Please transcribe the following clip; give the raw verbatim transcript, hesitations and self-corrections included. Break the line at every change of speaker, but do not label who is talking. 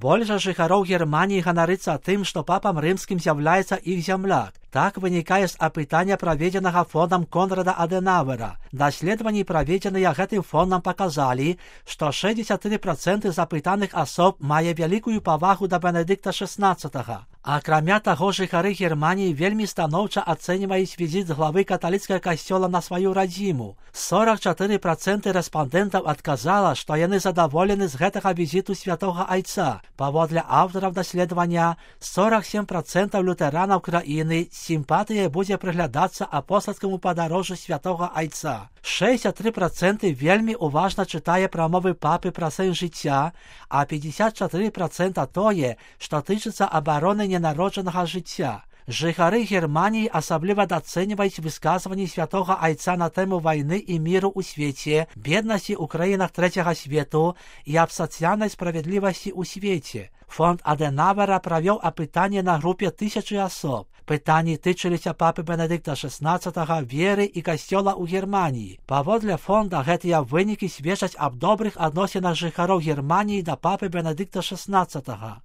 Большасць жыхароў Германіі ганарыцца тым, што папам рымскім з'яўляецца іх зямляк. Так вынікае з апытання, праведзенага фондам Конрада Адэнаўэра. Даследаванні, праведзеныя гэтым фондам, паказалі, што шэсцьдзесят тры працэнты запытаных асоб мае вялікую павагу да Бенедыкта шэснаццатага. Акрамя таго, жыхары Германіі вельмі станоўча ацэньваюць візіт главы каталіцкага касцёла на сваю радзіму. сорок чатыры працэнты рэспандэнтаў адказала, што яны задаволены з гэтага візіту святога айца. Паводле аўтараў даследавання, сорок сем працэнтаў лютэранаў краіны сімпатыя будзе прыглядацца апостальскаму падарожжу святога айца. шэсцьдесят тры працэнты вельмі уважна чытае прамовы папы пра сэнс жыцця, а пятьдесят чатыры працэнта тое, што тычыцца абароны ненароджанага жыцця. Жыхары Германіі асабліва дацэньваюць высказванні святога айца на тэму вайны і міру ў свеце, беднасці ў краінах трэцяга свету і аб сацыяльнай справядлівасці ў свеце. Фонд Адэнаўэра правёў апытанне на групе тысячы асоб. Пытанні тычыліся папы Бенедыкта шэснаццатага, веры і касцёла ў Германіі. Паводле фонда, гэтыя вынікі сведчаць аб добрых адносінах жыхароў Германіі да папы Бенедыкта шэснаццатага.